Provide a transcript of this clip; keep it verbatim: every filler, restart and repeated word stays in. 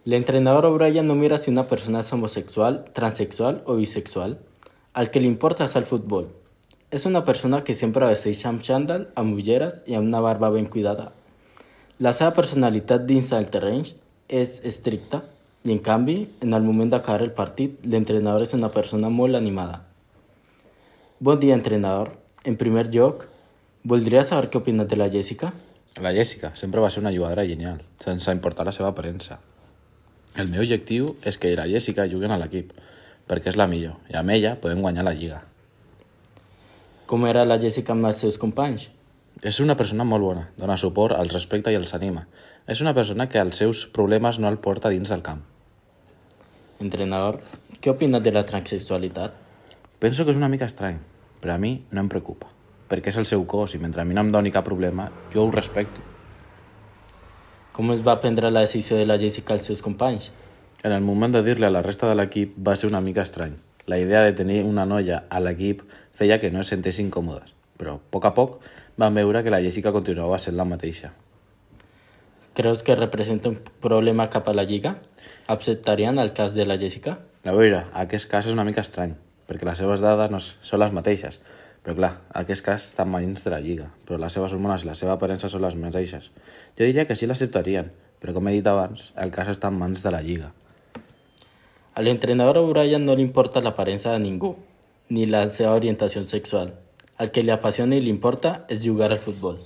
El entrenador O'Brien no mira si una persona es homosexual, transexual o bisexual. Al que le importa es al fútbol. És una persona que sempre vesteix amb xandall, amb ulleres i amb una barba ben cuidada. La seva personalitat dins del terreny és estricta i, en canvi, en el moment d'acabar el partit, l'entrenador és una persona molt animada. Bon dia, entrenador. En primer lloc, voldria saber què opines de la Jessica? La Jessica sempre va ser una jugadora genial, sense importar la seva aparença. El meu objectiu és que la Jessica jugui a l'equip, perquè és la millor, i amb ella podem guanyar la lliga. Com era la Jessica amb els seus companys? És una persona molt bona, dona suport, els respecta i els anima. És una persona que els seus problemes no el porta dins del camp. Entrenador, què opines de la transsexualitat? Penso que és una mica estrany, però a mi no em preocupa, perquè és el seu cos i mentre a mi no em doni cap problema, jo ho respecto. Com es va prendre la decisió de la Jessica als seus companys? En el moment de dir-li a la resta de l'equip va ser una mica estrany. La idea de tenir una noia a l'equip feia que no es sentessin còmodes, però a poc a poc van veure que la Jessica continuava sent la mateixa. Creus que representa un problema cap a la lliga? Acceptarien el cas de la Jessica? A veure, aquest cas és una mica estrany, perquè les seves dades no són les mateixes, però clar, aquest cas està en mans de la lliga, però les seves hormones i la seva aparença són les mateixes. Jo diria que sí l'acceptarien, però com he dit abans, el cas està en mans de la lliga. A l'entrenador O'Brien no li importa l'aparença de ningú, ni la seva orientació sexual. El que li apassiona i li importa és jugar al futbol.